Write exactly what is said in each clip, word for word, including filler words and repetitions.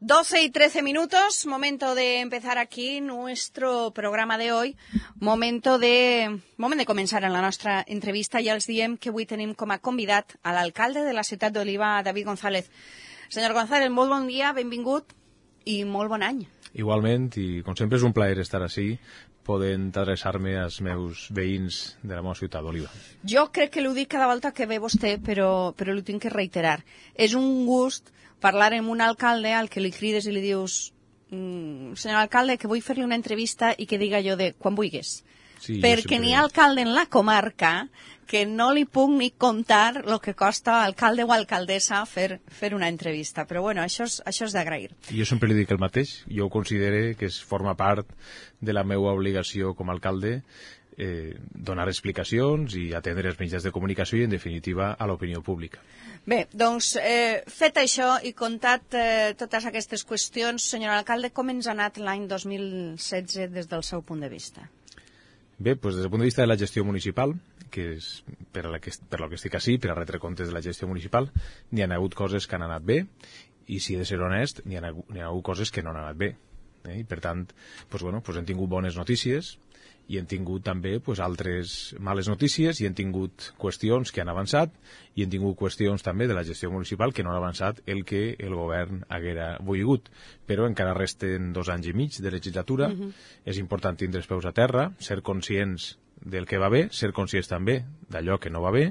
doce y trece minutos, momento de empezar aquí nuestro programa de hoy, momento de, moment de començar en la nostra entrevista. Ja els diem que avui tenim com a convidat a l'alcalde de la ciutat d'Oliva, David González. Senyor González, molt bon dia, benvingut i molt bon any. Igualment, i com sempre és un plaer estar ací, podent adreçar-me als meus veïns de la meva ciutat d'Oliva. Jo crec que l'ho dic cada volta que ve vostè, però, però l'ho tinc que reiterar. És un gust parlar amb un alcalde al que li crides i li dius mm, senyor alcalde, que vull fer-li una entrevista i que diga jo de quan vulguis. Sí, perquè n'hi ha alcalde en la comarca que no li puc ni contar el que costa alcalde o alcaldessa fer, fer una entrevista. Però bueno, això és, això és d'agrair. Jo sempre li dic el mateix. Jo considero que es forma part de la meva obligació com a alcalde eh, donar explicacions i atendre els mitjans de comunicació i, en definitiva, a l'opinió pública. Bé, doncs, eh, fet això i comptat eh, totes aquestes qüestions, senyor alcalde, com ens ha anat l'any dos mil setze des del seu punt de vista? Bé, doncs des del punt de vista de la gestió municipal, que és per a la que, per a la que estic ací, per a retre comptes de la gestió municipal, n'hi ha hagut coses que han anat bé, i si he de ser honest, n'hi ha, n'hi ha hagut coses que no han anat bé. Eh? I per tant, doncs, bueno, doncs hem tingut bones notícies, i hem tingut també pues, altres males notícies, i hem tingut qüestions que han avançat, i hem tingut qüestions també de la gestió municipal que no han avançat el que el govern haguera volgut. Però encara resten dos anys i mig de legislatura. Uh-huh. És important tindre els peus a terra, ser conscients del que va bé, ser conscients també d'allò que no va bé,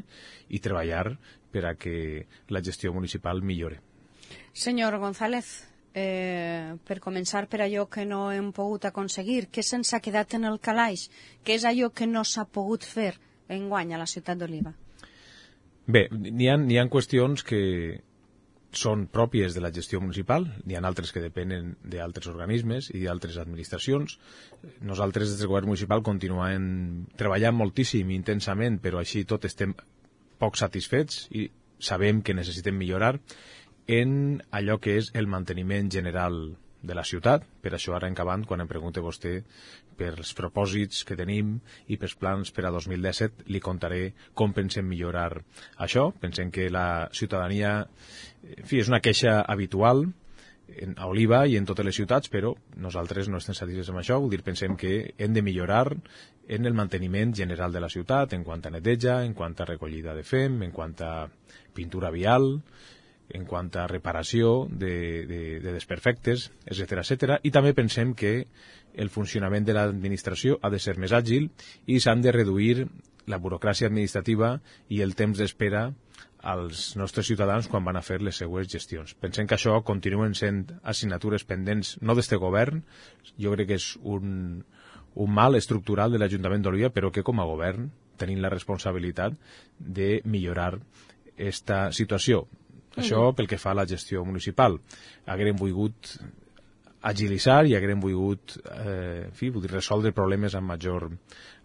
i treballar per a que la gestió municipal millore. Senyor González, Eh, per començar per allò que no hem pogut aconseguir, què se'ns ha quedat en el calaix? Què és allò que no s'ha pogut fer enguany a la ciutat d'Oliva? Bé, n'hi ha, n'hi ha qüestions que són pròpies de la gestió municipal, n'hi ha altres que depenen d'altres organismes i d'altres administracions. Nosaltres des del govern municipal continuem treballant moltíssim i intensament, però així tot estem poc satisfets i sabem que necessitem millorar en allò que és el manteniment general de la ciutat. Per això ara en acabant, quan em pregunte vostè pels propòsits que tenim i pels plans per a dos mil disset, li contaré com pensem millorar això. Pensem que la ciutadania, en fi, és una queixa habitual a Oliva i en totes les ciutats, però nosaltres no estem satisfets amb això. Vull dir, pensem que hem de millorar en el manteniment general de la ciutat, en quant a neteja, en quant a recollida de fem, en quant a pintura vial, en quant a reparació de, de, de desperfectes, etcètera, etcètera. I també pensem que el funcionament de l'administració ha de ser més àgil i s'han de reduir la burocràcia administrativa i el temps d'espera als nostres ciutadans quan van a fer les seues gestions. Pensem que això continuen sent assignatures pendents, no d'este govern, jo crec que és un, un mal estructural de l'Ajuntament d'Oliva, però que com a govern tenim la responsabilitat de millorar esta situació. Això pel que fa a la gestió municipal. Haguérem volgut agilitzar i haguérem volgut eh, en fi, vull dir, resoldre problemes amb major,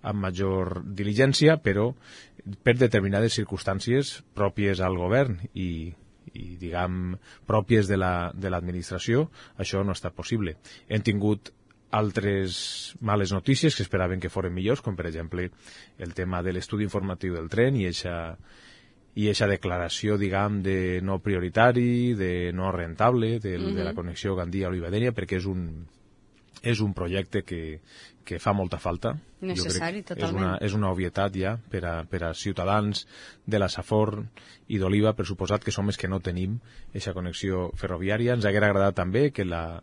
amb major diligència, però per determinades circumstàncies pròpies al govern i, i diguem, pròpies de la, de l'administració, això no ha estat possible. Hem tingut altres males notícies que esperaven que foren millors, com per exemple el tema de l'estudi informatiu del tren i eixa i aquesta declaració, diguem, de no prioritari, de no rentable, de, uh-huh. de la connexió Gandia-Olivadènia, perquè és un, és un projecte que, que fa molta falta. Necessari, totalment. És una, és una obvietat ja per a, per a ciutadans de la Safor i d'Oliva, per suposat que som els que no tenim aquesta connexió ferroviària. Ens hauria agradat també que, la,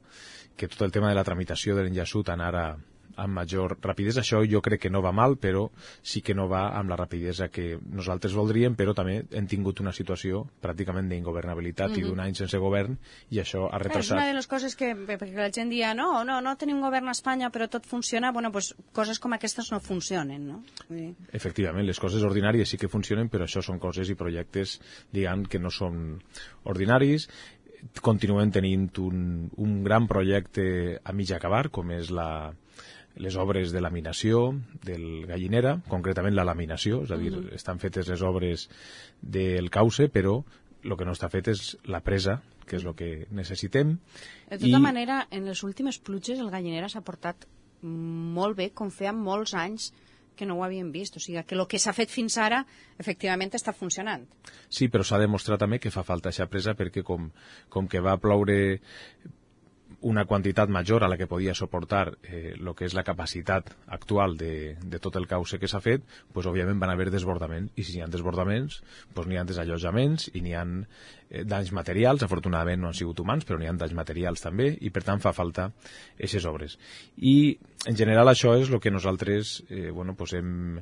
que tot el tema de la tramitació de l'enllaçut anara amb major rapidesa. Això jo crec que no va mal, però sí que no va amb la rapidesa que nosaltres voldríem, però també hem tingut una situació pràcticament d'ingovernabilitat mm-hmm. i d'un any sense govern, i això ha retrasat. És una de les coses que, perquè la gent dia, no, no, no tenim govern a Espanya, però tot funciona, bueno, pues coses com aquestes no funcionen, no? Sí. Efectivament, les coses ordinàries sí que funcionen, però això són coses i projectes, diguem, que no són ordinaris. Continuem tenint un, un gran projecte a mig acabar, com és la les obres de laminació del Gallinera, concretament la laminació, és a dir, uh-huh. estan fetes les obres del cauce, però el que no està fet és la presa, que és el que necessitem. De tota I... manera, en les últimes pluges el Gallinera s'ha portat molt bé, com feia molts anys que no ho havíem vist. O sigui, que el que s'ha fet fins ara, efectivament, està funcionant. Sí, però s'ha demostrat també que fa falta aquesta presa perquè com, com que va ploure una quantitat major a la que podia suportar eh, lo que és la capacitat actual de, de tot el cauce que s'ha fet, pues, òbviament van haver desbordaments, i si hi ha desbordaments, pues, n'hi ha desallotjaments i n'hi ha eh, danys materials. Afortunadament no han sigut humans, però n'hi ha danys materials també, i per tant fa falta aquestes obres. I en general això és el que nosaltres eh, bueno, pues hem,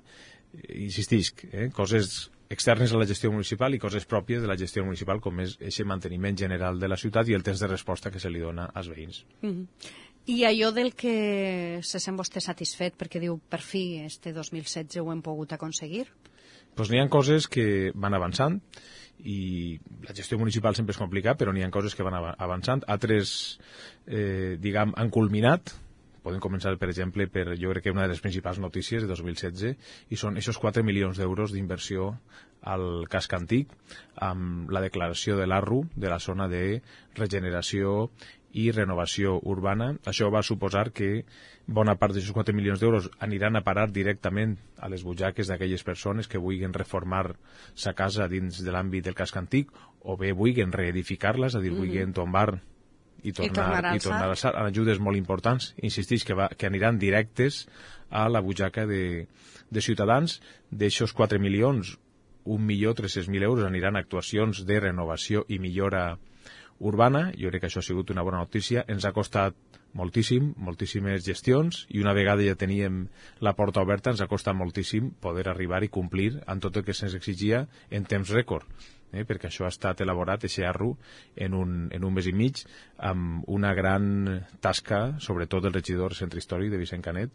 insistisc, eh, coses externes a la gestió municipal i coses pròpies de la gestió municipal, com és aquest manteniment general de la ciutat i el temps de resposta que se li dona als veïns. Mm-hmm. I allò del que se sent vostè satisfet, perquè diu, per fi, este dos mil setze ho hem pogut aconseguir? Doncs n'hi ha coses que van avançant, i la gestió municipal sempre és complicat, però n'hi ha coses que van avançant. Altres, eh, diguem, han culminat. Podem començar, per exemple, per, jo crec que una de les principals notícies de dos mil setze, i són aquests quatre milions d'euros d'inversió al casc antic, amb la declaració de l'A R U, de la zona de regeneració i renovació urbana. Això va suposar que bona part d'aquests quatre milions d'euros aniran a parar directament a les butxaques d'aquelles persones que vulguin reformar sa casa dins de l'àmbit del casc antic, o bé vulguin reedificar-la, és a dir, vulguin tombar i tornar, i tornar a alçar, en ajudes molt importants, insistix, que, va, que aniran directes a la butxaca de, de ciutadans. D'aixòs quatre milions, un milió tres-cents mil euros aniran a actuacions de renovació i millora urbana. Jo crec que això ha sigut una bona notícia. Ens ha costat moltíssim, moltíssimes gestions, i una vegada ja teníem la porta oberta, ens ha costat moltíssim poder arribar i complir amb tot el que se'ns exigia en temps rècord. Eh, perquè això ha estat elaborat, aquest A R U, en un, en un mes i mig, amb una gran tasca, sobretot del regidor del Centre Històric de Vicent Canet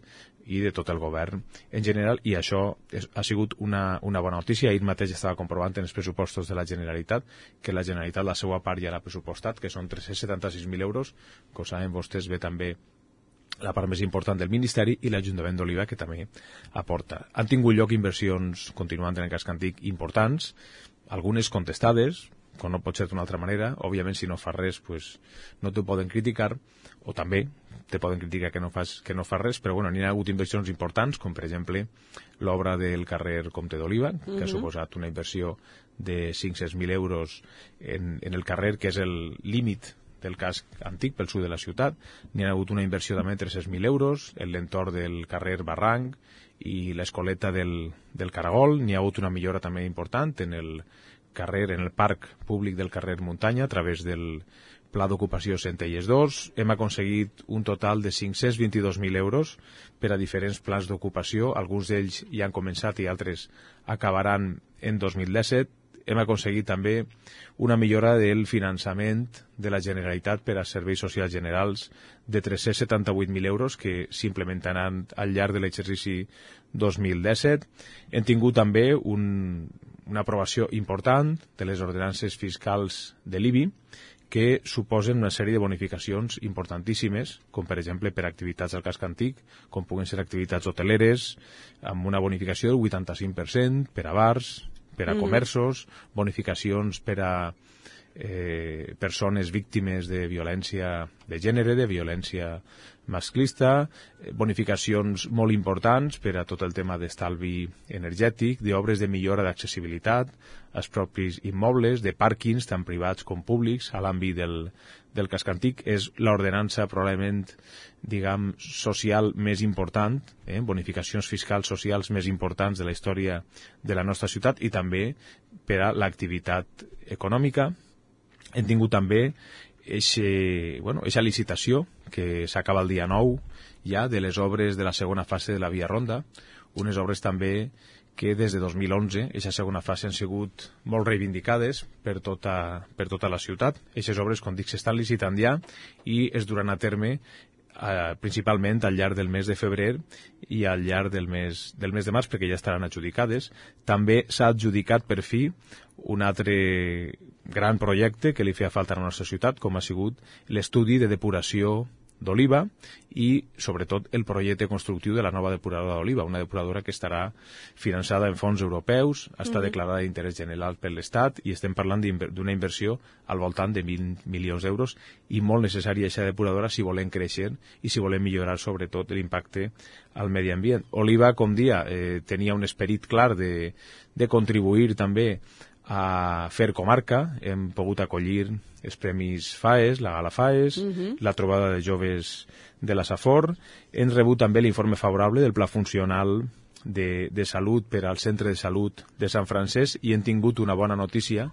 i de tot el govern en general, i això és, ha sigut una, una bona notícia. Ahir mateix estava comprovant en els pressupostos de la Generalitat que la Generalitat la seva part ja l'ha pressupostat, que són tres-cents setanta-sis mil euros, que ho saben vostès bé també la part més important del Ministeri, i l'Ajuntament d'Oliva, que també aporta. Han tingut lloc inversions, continuant en el casc antic, importants, algunes contestades, com no pot ser d'una altra manera. Òbviament, si no fas res, pues, no t'ho poden criticar, o també te poden criticar que no fas, que no fas res, però bueno, n'hi ha hagut inversions importants, com per exemple l'obra del carrer Comte d'Oliva, que uh-huh. ha suposat una inversió de cinc-cents mil euros en, en el carrer, que és el límit del casc antic pel sud de la ciutat. N'hi ha hagut una inversió també de tres-cents mil euros en l'entorn del carrer Barranc i l'escoleta del, del Caragol. N'hi ha hagut una millora també important en el carrer, en el parc públic del carrer Muntanya, a través del Pla d'Ocupació Centelles dos. Hem aconseguit un total de cinc-cents vint-i-dos mil euros per a diferents plans d'ocupació. Alguns d'ells ja han començat i altres acabaran en dos mil disset. Hem aconseguit també una millora del finançament de la Generalitat per a serveis socials generals de tres-cents setanta-vuit mil euros, que s'implementaran al llarg de l'exercici dos mil disset. Hem tingut també un, una aprovació important de les ordenances fiscals de l'I B I, que suposen una sèrie de bonificacions importantíssimes, com per exemple per activitats del casc antic, com puguen ser activitats hoteleres, amb una bonificació del vuitanta-cinc per cent, per a bars, per a comerços, bonificacions per a eh, persones víctimes de violència de gènere, de violència masclista, bonificacions molt importants per a tot el tema d'estalvi energètic, d'obres de millora d'accessibilitat als propis immobles, de pàrquings tant privats com públics a l'àmbit del, del casc antic. És l'ordenança probablement, diguem, social més important, eh? bonificacions fiscals socials més importants de la història de la nostra ciutat, i també per a l'activitat econòmica. Hem tingut també eixe, bueno, eixa licitació que s'acaba el dia nou ja de les obres de la segona fase de la Via Ronda, unes obres també que des de dos mil onze, aquesta segona fase, han sigut molt reivindicades per tota, per tota la ciutat. Aquestes obres, com dic, s'estan licitant ja i es duran a terme eh, principalment al llarg del mes de febrer i al llarg del mes, del mes de març, perquè ja estaran adjudicades. També s'ha adjudicat per fi un altre gran projecte que li feia falta a la nostra ciutat, com ha sigut l'estudi de depuració d'Oliva i, sobretot, el projecte constructiu de la nova depuradora d'Oliva, una depuradora que estarà finançada en fons europeus, està mm-hmm. declarada d'interès general per l'Estat, i estem parlant d'una inversió al voltant de vint milions d'euros, i molt necessària aquesta depuradora si volem créixer i si volem millorar, sobretot, l'impacte al medi ambient. Oliva, com dia, eh, tenia un esperit clar de, de contribuir també a fer comarca, hem pogut acollir els premis FAES, la Gala FAES, uh-huh. la trobada de joves de la Safor, hem rebut també l'informe favorable del Pla Funcional de, de Salut per al Centre de Salut de Sant Francesc i hem tingut una bona notícia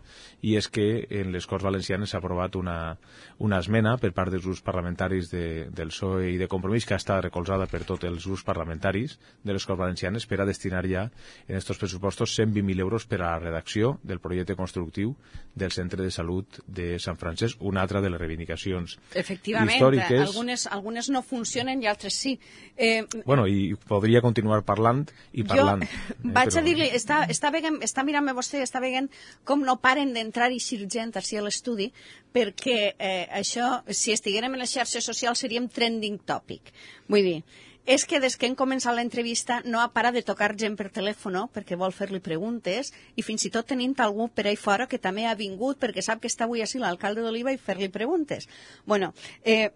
i és que en les Corts Valencianes s'ha aprovat una, una esmena per part dels grups parlamentaris de, del P S O E i de Compromís que ha estat recolzada per tots els grups parlamentaris de les Corts Valencianes per a destinar ja en aquests pressupostos cent vint mil euros per a la redacció del projecte constructiu del Centre de Salut de Sant Francesc, una altra de les reivindicacions Efectivament, històriques. Algunes, algunes no funcionen i altres sí. Eh, bueno, i podria continuar parlant i parlant. Jo eh, vaig però... a dir-li, està, està, veient, està mirant-me vostè, està veient com no paren d'entrar i eixir gent així a l'estudi, perquè eh, això, si estiguérem en les xarxes socials, seríem trending topic. Vull dir, és que des que hem començat l'entrevista no ha parat de tocar gent per telèfon perquè vol fer-li preguntes i fins i tot tenim algú per ahí fora que també ha vingut perquè sap que està avui així l'alcalde d'Oliva i fer-li preguntes. Bueno, eh,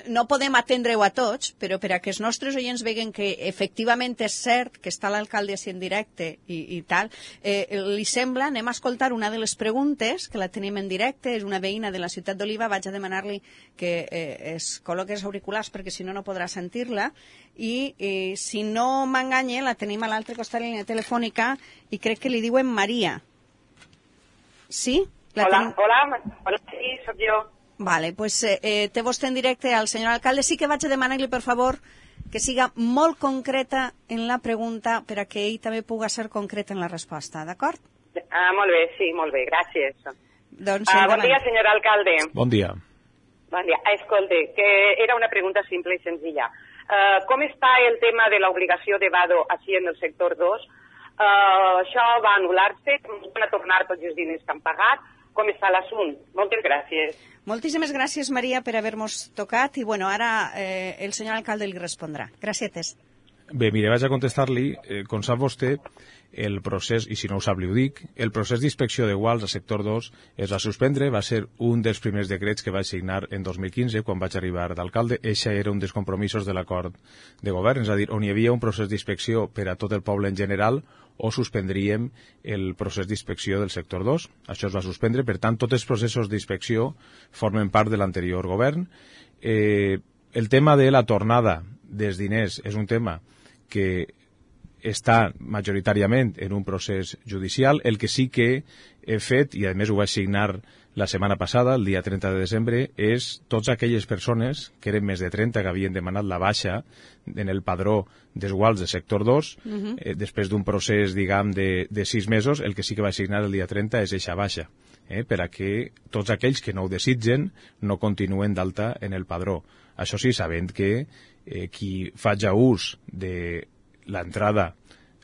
no podem atendre-ho a tots, però per a que els nostres oients veguen que efectivament és cert que està l'alcalde així en directe i, i tal, eh, li sembla, anem a escoltar una de les preguntes, que la tenim en directe, és una veïna de la ciutat d'Oliva, vaig a demanar-li que eh, es col·loqui els auriculars perquè si no no podrà sentir-la. I eh, si no m'enganye la tenim a l'altre costat de la línia telefònica i crec que li diuen Maria. Sí? La hola, ten... hola, hola, sí, sóc jo. Vale, pues eh, té vostè en directe al senyor alcalde. Sí que vaig a demanar-li, per favor, que siga molt concreta en la pregunta per a que ell també pugui ser concret en la resposta, d'acord? Ah, molt bé, sí, molt bé, gràcies. Doncs, ah, bon dia, senyor alcalde. Bon dia. Bon dia. Escolte, que era una pregunta simple i senzilla. Uh, com està el tema de l'obligació de vado així en el sector dos? Uh, això va anul·lar-se? Com van a tornar tots els diners que han pagat? Com està l'assunt? Moltes gràcies. Moltíssimes gràcies, Maria, per haver-nos tocat i, bueno, ara eh, el senyor alcalde li respondrà. Gràcies. Bé, mire, vaig a contestar-li. Eh, com sap vostè, el procés, i si no ho sap li ho dic, el procés d'inspecció de guals al sector dos es va suspendre, va ser un dels primers decrets que vaig signar en dos mil quinze, quan vaig arribar d'alcalde. Eixa era un dels compromisos de l'acord de govern, és a dir, on hi havia un procés d'inspecció per a tot el poble en general, o suspendríem el procés d'inspecció del sector dos. Això es va suspendre, per tant, tots els processos d'inspecció formen part de l'anterior govern. Eh, el tema de la tornada dels diners és un tema que està majoritàriament en un procés judicial. El que sí que he fet, i a més ho vaig signar la setmana passada, el dia trenta de desembre, és totes aquelles persones, que eren més de trenta, que havien demanat la baixa en el padró dels guals del sector dos, uh-huh. eh, després d'un procés, diguem, de, de sis mesos, el que sí que vaig signar el dia trenta és eixa baixa, eh, per a que tots aquells que no ho desitgen no continuen d'alta en el padró. Això sí, sabent que eh, qui faci ús de l'entrada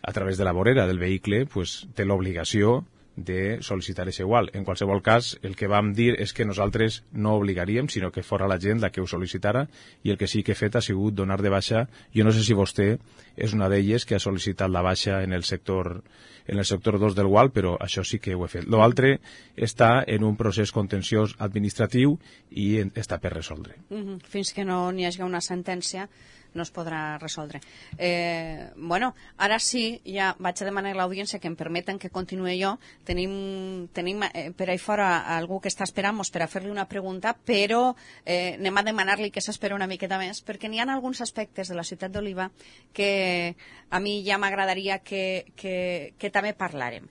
a través de la vorera del vehicle pues, té l'obligació de sol·licitar aquest igual. En qualsevol cas, el que vam dir és que nosaltres no obligaríem, sinó que fora la gent la que ho sol·licitara, i el que sí que he fet ha sigut donar de baixa. Jo no sé si vostè és una d'elles que ha sol·licitat la baixa en el sector en el sector dos del gual, però això sí que ho he fet. L'altre està en un procés contenciós administratiu i està per resoldre. Mm-hmm. Fins que no n'hi hagi una sentència no es podrà resoldre. Eh, bueno, ara sí, ja vaig a demanar a l'audiència que em permeten que continuï jo. Tenim, tenim eh, per ahí fora algú que està esperant-nos per a fer-li una pregunta, però eh, anem a demanar-li que s'espera una miqueta més, perquè n'hi ha alguns aspectes de la ciutat d'Oliva que a mi ja m'agradaria que, que, que també parlàrem.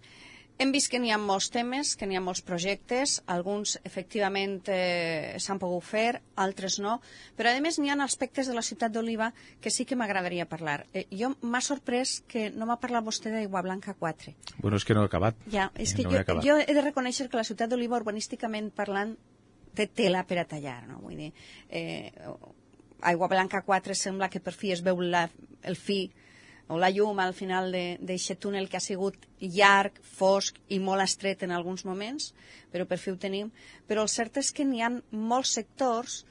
Hem vist que n'hi ha molts temes, que n'hi ha molts projectes, alguns efectivament eh, s'han pogut fer, altres no, però a més n'hi ha aspectes de la ciutat d'Oliva que sí que m'agradaria parlar. Eh, jo m'ha sorprès que no m'ha parlat vostè d'Aigua Blanca quatre. Bueno, és que no he acabat. Ja, és que no jo, he jo he de reconèixer que la ciutat d'Oliva urbanísticament parlant té tela per a tallar, no? Vull dir, eh, Aigua Blanca quatre sembla que per fi es veu la, el fi o la llum al final d'aquest túnel que ha sigut llarg, fosc i molt estret en alguns moments, però per fi ho tenim. Però el cert és que n'hi ha molts sectors,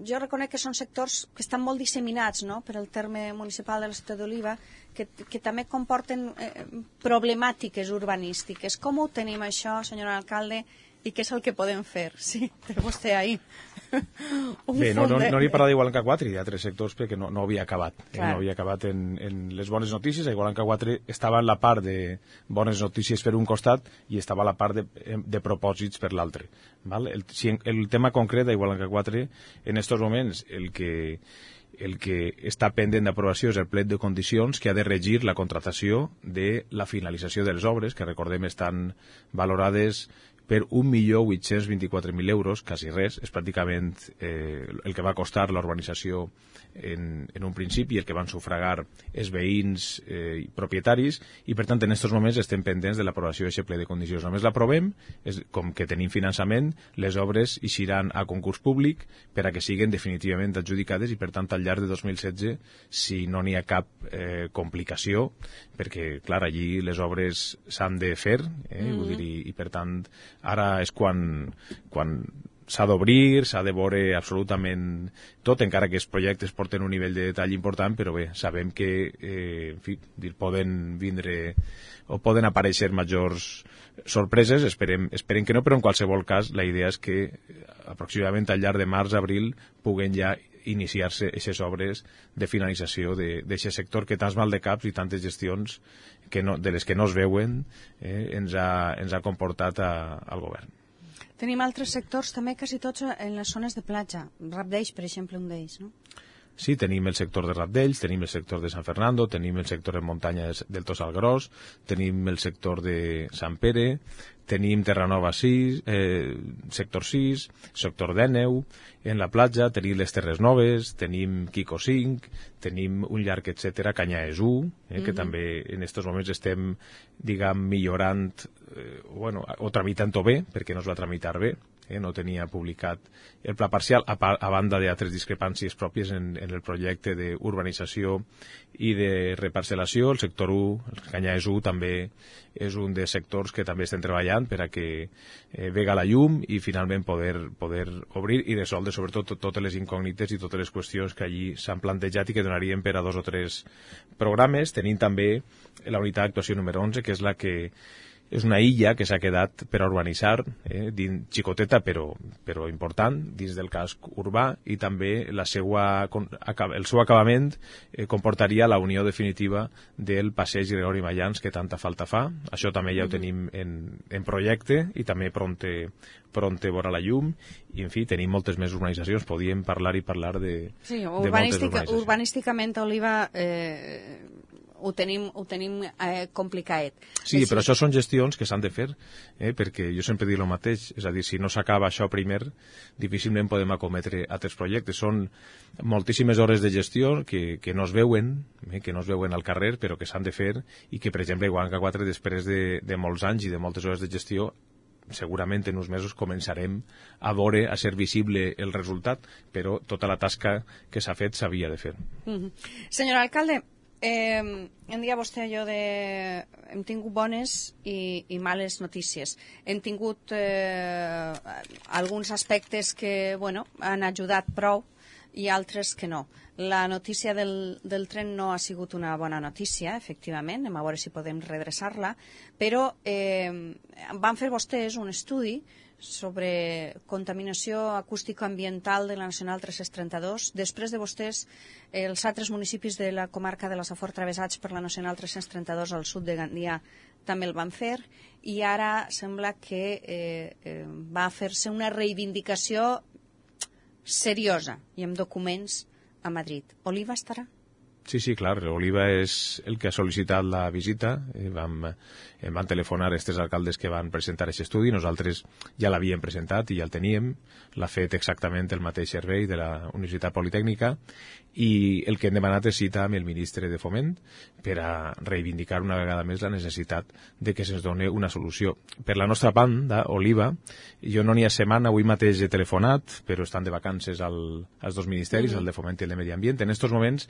jo reconec que són sectors que estan molt disseminats, no?, per al terme municipal de la ciutat d'Oliva, que, que també comporten eh, problemàtiques urbanístiques. Com ho tenim això, senyor alcalde, i què és el que podem fer? Sí, té vostè ahí. Bé, no, no, no n'hi parla d'Igualanca quatre i d'altres sectors perquè no, no havia acabat. Eh? No havia acabat en, en les bones notícies. A Igualanca quatre estava en la part de bones notícies per un costat i estava a la part de, de propòsits per l'altre. Val? El, si el tema concret d'Igualanca quatre, en aquests moments, el que, el que està pendent d'aprovació és el plet de condicions que ha de regir la contractació de la finalització de les obres, que recordem estan valorades per un milió vuit-cents vint-i-quatre mil euros, quasi res, és pràcticament eh, el que va costar la urbanització en, en un principi, el que van sufragar els veïns eh, i propietaris, i per tant en aquests moments estem pendents de l'aprovació d'aquest ple de condicions. Només l'aprovem, com que tenim finançament, les obres eixiran a concurs públic per a que siguin definitivament adjudicades i per tant al llarg de dos mil setze, si no n'hi ha cap eh, complicació, perquè clar, allí les obres s'han de fer, eh, mm-hmm. vull dir, i, i per tant ara és quan, quan s'ha d'obrir, s'ha de veure absolutament tot, encara que els projectes porten un nivell de detall important, però bé, sabem que eh, en fi, dir, poden vindre o poden aparèixer majors sorpreses, esperem, esperem que no, però en qualsevol cas la idea és que aproximadament al llarg de març-abril puguen ja iniciar-se aquestes obres de finalització d'aquest sector que tants mal de caps i tantes gestions que no, de les que no es veuen eh, ens, ha, ens ha comportat a, al govern. Tenim altres sectors també, quasi tots en les zones de platja. Rapdells, per exemple, un d'ells, no? Sí, tenim el sector de Rapdells, tenim el sector de San Fernando, tenim el sector de muntanya del Tossal Gros, tenim el sector de Sant Pere, tenim Terranova sis, eh, sector sis, sector d'Èneu, en la platja tenim les Terres Noves, tenim Quico cinc, tenim un llarg, etcètera, Canyaes u, eh, que mm-hmm. també en aquests moments estem, diguem, millorant, eh, bueno, o tramitant-ho bé, perquè no es va tramitar bé, eh, no tenia publicat el pla parcial, a, a banda d'altres discrepàncies pròpies en, en el projecte d'urbanització i de reparcel·lació. El sector u, el Canyaes u, també és un dels sectors que també estem treballant per a que eh, vega la llum i finalment poder, poder obrir i resoldre sobretot tot, totes les incògnites i totes les qüestions que allí s'han plantejat i que donarien per a dos o tres programes. Tenim també la unitat d'actuació número onze, que és la que és una illa que s'ha quedat per a urbanitzar, eh, dins, xicoteta però, però important, dins del casc urbà, i també la seua, el seu acabament eh, comportaria la unió definitiva del passeig Gregori Mayans que tanta falta fa. Això també ja ho tenim en, en projecte i també pronte, pronte veurà la llum, i en fi, tenim moltes més urbanitzacions, podíem parlar i parlar de, sí, de urbanística, moltes urbanísticament, Oliva, eh, ho tenim, ho tenim eh, complicat. Sí, però això són gestions que s'han de fer, eh, perquè jo sempre dic el mateix, és a dir, si no s'acaba això primer, difícilment podem acometre altres projectes. Són moltíssimes hores de gestió que, que no es veuen, eh, que no es veuen al carrer, però que s'han de fer, i que, per exemple, Igualanca quatre, després de, de molts anys i de moltes hores de gestió, segurament en uns mesos començarem a veure, a ser visible el resultat, però tota la tasca que s'ha fet s'havia de fer. Mm-hmm. Senyor alcalde, Eh, em dia vostè allò de hem tingut bones i, i males notícies. Hem tingut eh, alguns aspectes que bueno, han ajudat prou i altres que no. La notícia del, del tren no ha sigut una bona notícia, efectivament, anem a veure si podem redreçar-la, però eh, van fer vostès un estudi sobre contaminació acústico-ambiental de la Nacional tres-cents trenta-dos. Després de vostès, els altres municipis de la comarca de la Safor travessats per la Nacional tres-cents trenta-dos al sud de Gandia també el van fer, i ara sembla que eh, eh, va fer-se una reivindicació seriosa i amb documents a Madrid. Oliva estarà? Sí, sí, clar, Oliva és el que ha sol·licitat la visita. Eh, vam, eh, van telefonar aquests alcaldes que van presentar aquest estudi. Nosaltres ja l'havíem presentat i ja el teníem. L'ha fet exactament el mateix servei de la Universitat Politècnica, i el que hem demanat és cita amb el ministre de Foment per a reivindicar una vegada més la necessitat de que se'ns doni una solució. Per la nostra banda, Oliva, jo no n'hi ha setmana, avui mateix he telefonat, però estan de vacances al, als dos ministeris, mm-hmm. el de Foment i el de Medi Ambient. En aquests moments,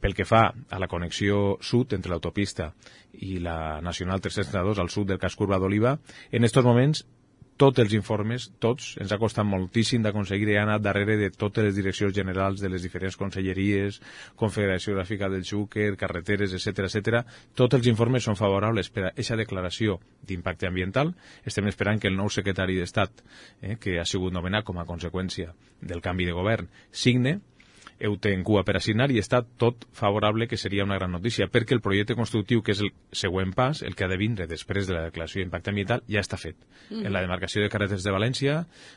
pel que fa a la connexió sud entre l'autopista i la Nacional tres-cents trenta-dos al sud del casc urbà d'Oliva, en aquests moments tots els informes, tots, ens ha costat moltíssim d'aconseguir, he anat darrere de totes les direccions generals de les diferents conselleries, Confederació Gràfica del Xúquer, carreteres, etcètera, etcètera. Tots els informes són favorables per a aquesta declaració d'impacte ambiental. Estem esperant que el nou secretari d'Estat, eh, que ha sigut nomenat com a conseqüència del canvi de govern, signe, heu té en cua per a signar i està tot favorable, que seria una gran notícia, perquè el projecte constructiu, que és el següent pas, el que ha de vindre després de la declaració d'impacte ambiental, ja està fet. Mm. En la demarcació de carreteres de València,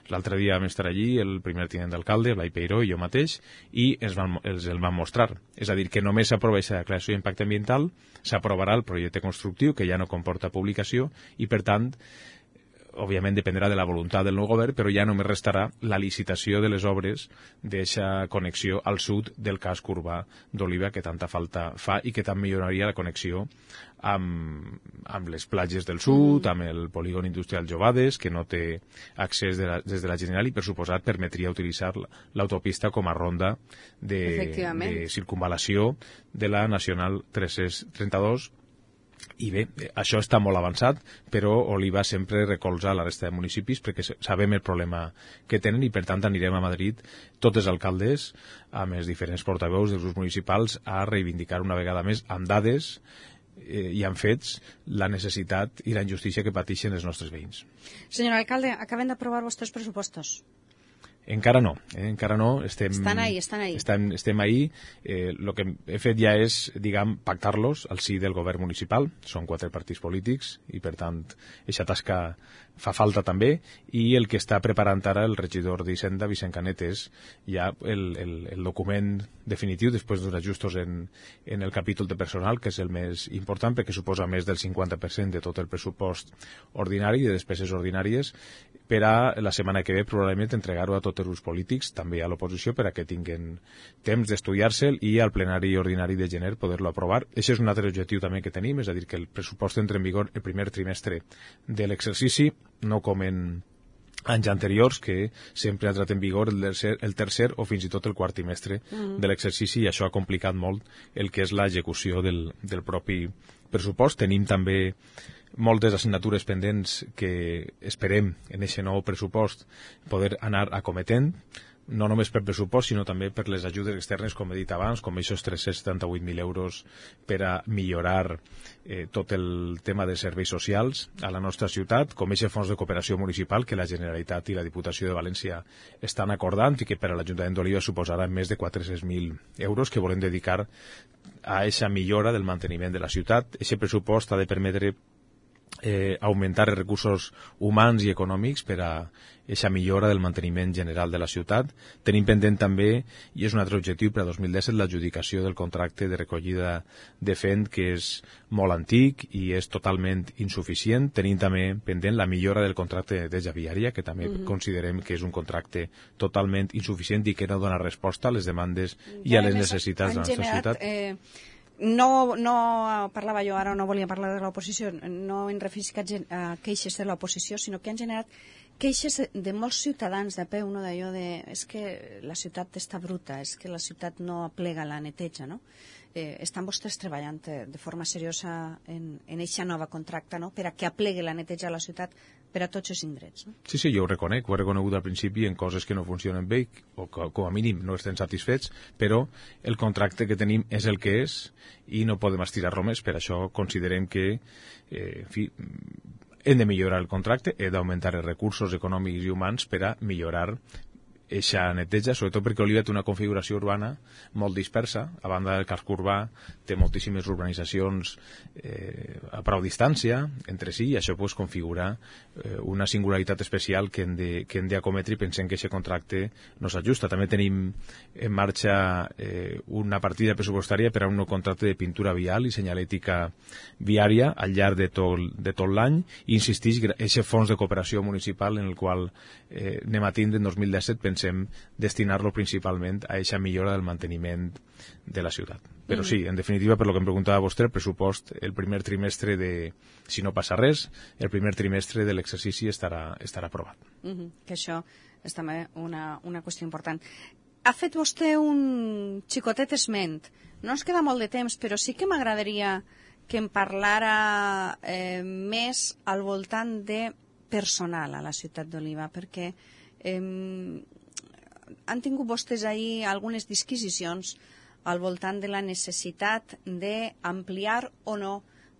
l'altre dia vam estar allí, el primer tinent d'alcalde, Blai Peiró i jo mateix, i ens van, els el van mostrar. És a dir, que només s'aprova aquesta declaració d'impacte ambiental, s'aprovarà el projecte constructiu, que ja no comporta publicació, i per tant, òbviament dependrà de la voluntat del nou govern, però ja només restarà la licitació de les obres d'aquesta connexió al sud del casc urbà d'Oliva, que tanta falta fa i que també milloraria la connexió amb, amb les platges del sud, amb el polígon industrial Jovades, que no té accés de la, des de la General, i per suposat permetria utilitzar l'autopista com a ronda de, de circunvalació de la Nacional tres-cents trenta-dos. I bé, això està molt avançat, però Oliva sempre recolza la resta de municipis perquè sabem el problema que tenen i per tant anirem a Madrid tots els alcaldes amb els diferents portaveus dels grups municipals a reivindicar una vegada més amb dades eh, i amb fets la necessitat i la injustícia que pateixen els nostres veïns. Senyor alcalde, acaben d'aprovar vostres pressupostos. Encara no, eh? encara no. Estem, estan ahí, estan ahí. Estem, estem ahí. Eh, lo que he fet ja és, diguem, pactar-los al si del govern municipal. Són quatre partits polítics i, per tant, aquesta tasca fa falta també. I el que està preparant ara el regidor d'Hisenda, Vicent Canet, és ja el, el, el document definitiu, després d'uns ajustos en, en el capítol de personal, que és el més important, perquè suposa més del cinquanta per cent de tot el pressupost ordinari, de despeses ordinàries, per a la setmana que ve probablement entregar-ho a tots els grups polítics, també a l'oposició, per a que tinguin temps d'estudiar-se'l i al plenari ordinari de gener poder-lo aprovar. Això és un altre objectiu també que tenim, és a dir, que el pressupost entre en vigor el primer trimestre de l'exercici, no com en anys anteriors, que sempre ha entrat en vigor el tercer, el tercer o fins i tot el quart trimestre mm. de l'exercici, i això ha complicat molt el que és l'execució del, del propi pressupost. Tenim també moltes assignatures pendents que esperem en aquest nou pressupost poder anar acometent, no només per pressupost, sinó també per les ajudes externes, com he dit abans, com aquests tres-cents setanta-vuit mil euros per a millorar eh, tot el tema de serveis socials a la nostra ciutat, com aquest fons de cooperació municipal que la Generalitat i la Diputació de València estan acordant i que per a l'Ajuntament d'Oliva suposarà més de quatre-cents mil euros que volem dedicar a aquesta millora del manteniment de la ciutat. Aquest pressupost ha de permetre Eh, augmentar els recursos humans i econòmics per a aquesta millora del manteniment general de la ciutat. Tenim pendent també, i és un altre objectiu per a dos mil disset, l'adjudicació del contracte de recollida de fent, que és molt antic i és totalment insuficient. Tenim també pendent la millora del contracte de viària, que també mm-hmm. considerem que és un contracte totalment insuficient i que no dona resposta a les demandes i a les necessitats de la nostra ciutat. Eh... No, no parlava jo ara, no volia parlar de l'oposició, no en referisc a queixes de l'oposició, sinó que han generat queixes de molts ciutadans de peu, no, d'allò de... és que la ciutat està bruta, és que la ciutat no aplega la neteja, no? Eh, estan vostès treballant de forma seriosa en aquesta nova contracte, no?, per a que aplegui la neteja a la ciutat per a tots els indrets, no? Sí, sí, jo ho reconec, ho he reconegut al principi en coses que no funcionen bé o que com a mínim no estem satisfets, però el contracte que tenim és el que és i no podem estirar-lo més. Per això considerem que eh, en fi, hem de millorar el contracte, hem d'augmentar els recursos econòmics i humans per a millorar eixa neteja, sobretot perquè Oliva té una configuració urbana molt dispersa. A banda del casc urbà té moltíssimes urbanitzacions eh, a prou distància entre si, i això pues, configura eh, una singularitat especial que hem de, que hem d'acometre, i pensem que aquest contracte no s'ajusta. També tenim en marxa eh, una partida pressupostària per a un nou contracte de pintura vial i senyalètica viària al llarg de tot, de tot l'any, i insistix, aquest fons de cooperació municipal en el qual eh, anem a tindre en dos mil disset, pensem destinar-lo principalment a aquesta millora del manteniment de la ciutat. Però mm. sí, en definitiva, per lo que em preguntava vostè, el pressupost, el primer trimestre de, si no passa res, el primer trimestre de l'exercici estarà, estarà aprovat. Mm-hmm. Que això és també una, una qüestió important. Ha fet vostè un xicotet esment. No ens queda molt de temps, però sí que m'agradaria que em parlara eh, més al voltant de personal a la ciutat d'Oliva, perquè eh, han tingut vostès ahir algunes disquisicions al voltant de la necessitat d'ampliar o no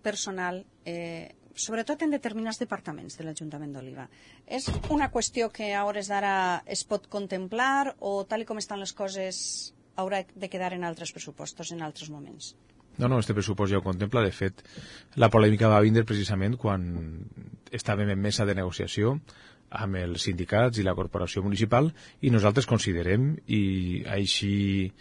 personal, eh, sobretot en determinats departaments de l'Ajuntament d'Oliva. És una qüestió que a hores d'ara es pot contemplar o, tal com estan les coses, haurà de quedar en altres pressupostos, en altres moments? No, no, este pressupost ja ho contempla. De fet, la polèmica va vindre precisament quan estàvem en mesa de negociació amb els sindicats i la corporació municipal, i nosaltres considerem, i així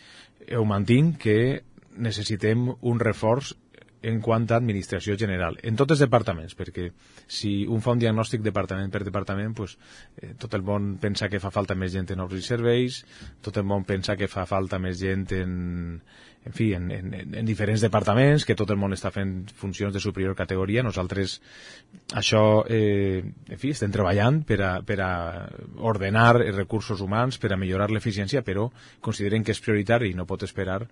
ho mantinc, que necessitem un reforç en quant a administració general, en tots els departaments, perquè si un fa un diagnòstic departament per departament, pues, eh, tot el món pensa que fa falta més gent en obres i serveis, tot el món pensa que fa falta més gent en, en fi, en, en, en diferents departaments, que tot el món està fent funcions de superior categoria. Nosaltres això, eh, en fi, estem treballant per a, per a ordenar els recursos humans, per a millorar l'eficiència, però considerem que és prioritari i no pot esperar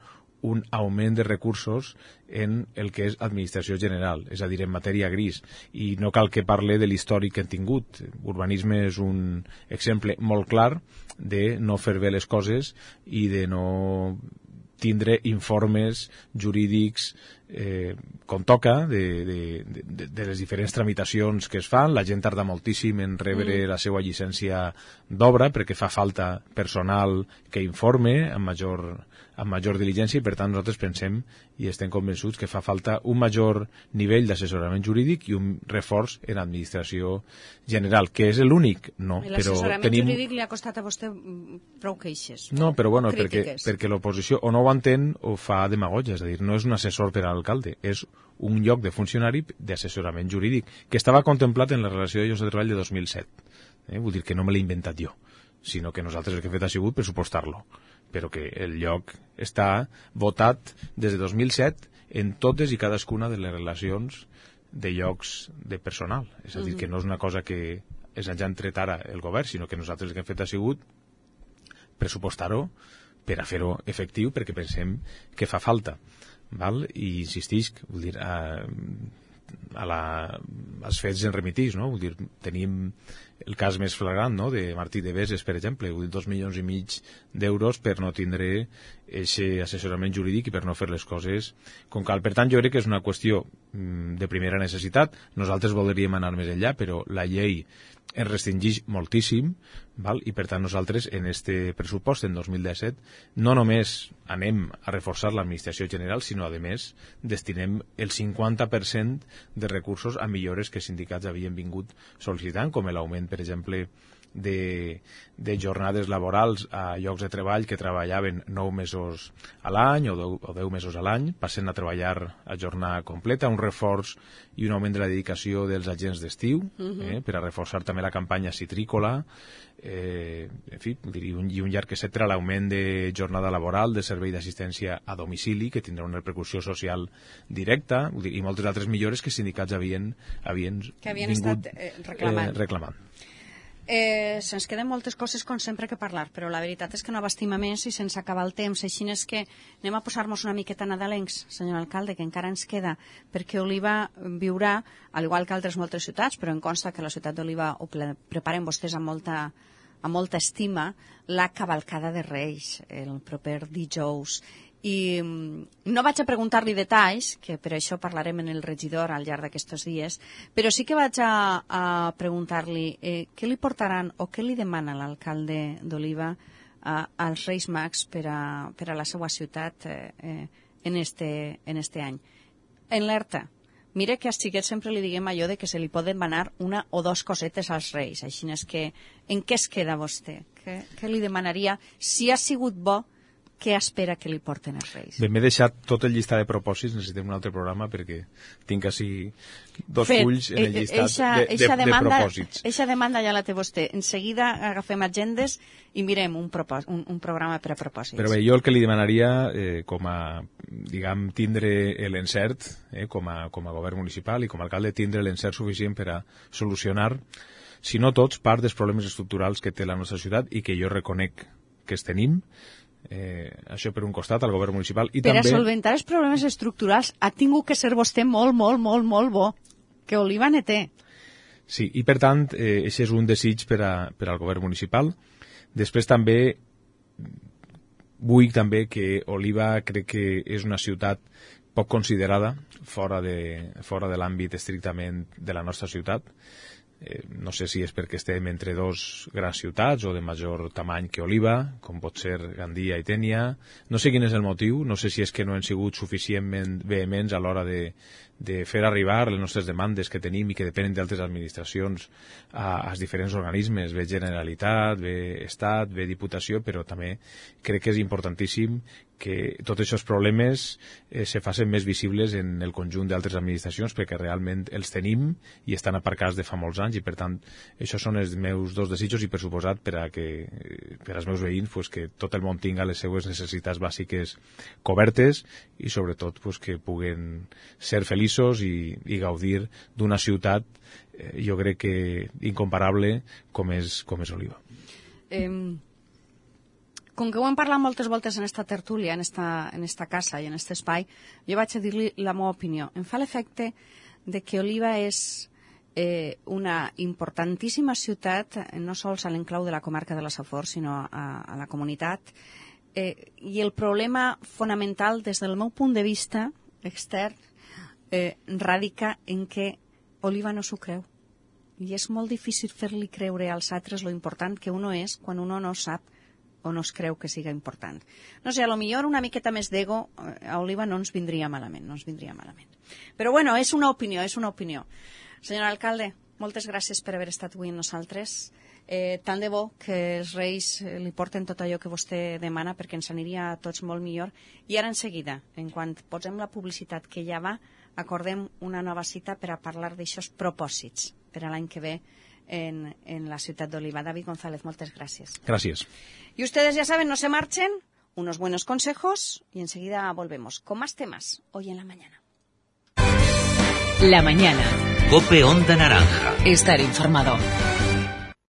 un augment de recursos en el que és administració general, és a dir, en matèria gris. I no cal que parle de l'històric que hem tingut. Urbanisme és un exemple molt clar de no fer bé les coses i de no tindre informes jurídics eh, com toca de, de, de, de les diferents tramitacions que es fan. La gent tarda moltíssim en rebre mm. la seva llicència d'obra perquè fa falta personal que informe amb major, amb major diligència, i per tant nosaltres pensem i estem convençuts que fa falta un major nivell d'assessorament jurídic i un reforç en administració general, que és l'únic, no. L'assessorament tenim... jurídic li ha costat a vostè prou queixes. No, però bueno, perquè, perquè l'oposició o no ho entén o fa demagogia, és a dir, no és un assessor per a l'alcalde, és un lloc de funcionari d'assessorament jurídic, que estava contemplat en la relació de llocs de treball de dos mil set. Eh? Vull dir que no me l'he inventat jo, sinó que nosaltres el que hem fet ha sigut pressupostar-lo, però que el lloc està votat des de dos mil set en totes i cadascuna de les relacions de llocs de personal. És a dir, que no és una cosa que ens hagi tret ara el govern, sinó que nosaltres el que hem fet ha sigut pressupostar-ho per a fer-ho efectiu, perquè pensem que fa falta. Val? I insistisc, vull dir, a, a la, als fets en remitís, no? Vull dir, tenim el cas més flagrant, no?, de Martí de Beses, per exemple, vull dir, dos milions i mig d'euros per no tindre aquest assessorament jurídic i per no fer les coses com cal. Per tant, jo crec que és una qüestió de primera necessitat. Nosaltres voldríem anar més enllà, però la llei es restringeix moltíssim, val? I per tant nosaltres en este pressupost en dos mil disset no només anem a reforçar l'administració general, sinó a més destinem el cinquanta per cent de recursos a millores que sindicats havien vingut sol·licitant, com l'augment, per exemple, de, de jornades laborals a llocs de treball que treballaven nou mesos a l'any o deu, o deu mesos a l'any, passen a treballar a jornada completa, un reforç i un augment de la dedicació dels agents d'estiu, uh-huh. eh, per a reforçar també la campanya citrícola, eh, en fi, i un, i un llarg etcètera, l'augment de jornada laboral, de servei d'assistència a domicili, que tindrà una repercussió social directa, dir, i moltes altres millores que sindicats havien, havien, que havien vingut estat eh, reclamant. Eh, reclamant. Eh, se'ns queden moltes coses com sempre que parlar, però la veritat és que no abastim a més i sense acabar el temps. Així és que anem a posar-nos una miqueta nadalencs, senyor alcalde, que encara ens queda, perquè Oliva viurà, al igual que altres moltes ciutats, però em consta que la ciutat d'Oliva ho preparen vostès amb molta, amb molta estima, la cavalcada de Reis, el proper dijous. I no vaig a preguntar-li detalls, que per això parlarem en el regidor al llarg d'aquests dies, però sí que vaig a, a preguntar-li eh, què li portaran o què li demana l'alcalde d'Oliva eh, als Reis Mags per a, per a la seva ciutat eh, eh, en, este, en este any. En l'Erta, mire que als xiquets sempre li diguem allò de que se li poden demanar una o dos cosetes als Reis, així és que en què es queda vostè? Què, què li demanaria si ha sigut bo? Què espera que li porten els Reis? Bé, m'he deixat tot el llistat de propòsits, necessitem un altre programa perquè tinc així dos Fet, fulls en el llistat eixa, de, de, eixa demanda, de propòsits. Eixa demanda ja la té vostè. En seguida agafem agendes i mirem un, propòs, un, un programa per a propòsits. Però bé, jo el que li demanaria, eh, com a, diguem, tindre l'encert, eh, com, a, com a govern municipal i com a alcalde, tindre l'encert suficient per a solucionar, si no tots, part dels problemes estructurals que té la nostra ciutat i que jo reconec que els tenim. Eh, això per un costat, al govern municipal. I per també... a solventar els problemes estructurals ha tingut que ser vostè molt, molt, molt, molt bo, que Oliva ne té. Sí, i per tant, eh, això és un desig per, a, per al govern municipal. Després també vull també que Oliva crec que és una ciutat poc considerada fora de, fora de l'àmbit estrictament de la nostra ciutat. Eh, no sé si és perquè estem entre dos grans ciutats o de major tamany que Oliva, com pot ser Gandia i Tènia. No sé quin és el motiu, no sé si és que no han sigut suficientment vehements a l'hora de, de fer arribar les nostres demandes que tenim i que depenen d'altres administracions a, als diferents organismes, bé Generalitat, bé Estat, bé Diputació, però també crec que és importantíssim que tots aquests problemes eh, se facin més visibles en el conjunt d'altres administracions perquè realment els tenim i estan aparcats de fa molts anys i per tant això són els meus dos desitjos i per suposat per a que per als meus veïns pues, que tot el món tinga les seues necessitats bàsiques cobertes i sobretot pues, que puguen ser feliços i, i gaudir d'una ciutat eh, jo crec que incomparable com és, com és Oliva. Eh... Com que ho hem parlat moltes voltes en esta tertúlia, en esta, en esta casa i en aquest espai, jo vaig a dir-li la meva opinió. Em fa l'efecte de que Oliva és eh, una importantíssima ciutat, no sols a l'enclau de la comarca de la Safor, sinó a, a la comunitat, eh, i el problema fonamental des del meu punt de vista extern eh, radica en que Oliva no s'ho creu. I és molt difícil fer-li creure als altres lo important que uno és quan uno no sap o no es creu que siga important. No sé, a lo millor una miqueta més d'ego a Oliva no ens vindria malament, no ens vindria malament. Però bueno, és una opinió, és una opinió. Senyor alcalde, moltes gràcies per haver estat avui amb nosaltres. Eh, tant de bo que els Reis li porten tot allò que vostè demana perquè ens aniria a tots molt millor. I ara en seguida, en quan posem la publicitat que ja va, acordem una nova cita per a parlar d'aixòs propòsits per a l'any que ve En, en la ciutat d'Oliva. David González, muchas gracias. Gracias. Y ustedes ya saben, no se marchen, unos buenos consejos y enseguida volvemos con más temas hoy en la mañana. La mañana. COPE Onda Naranja. Estar informado.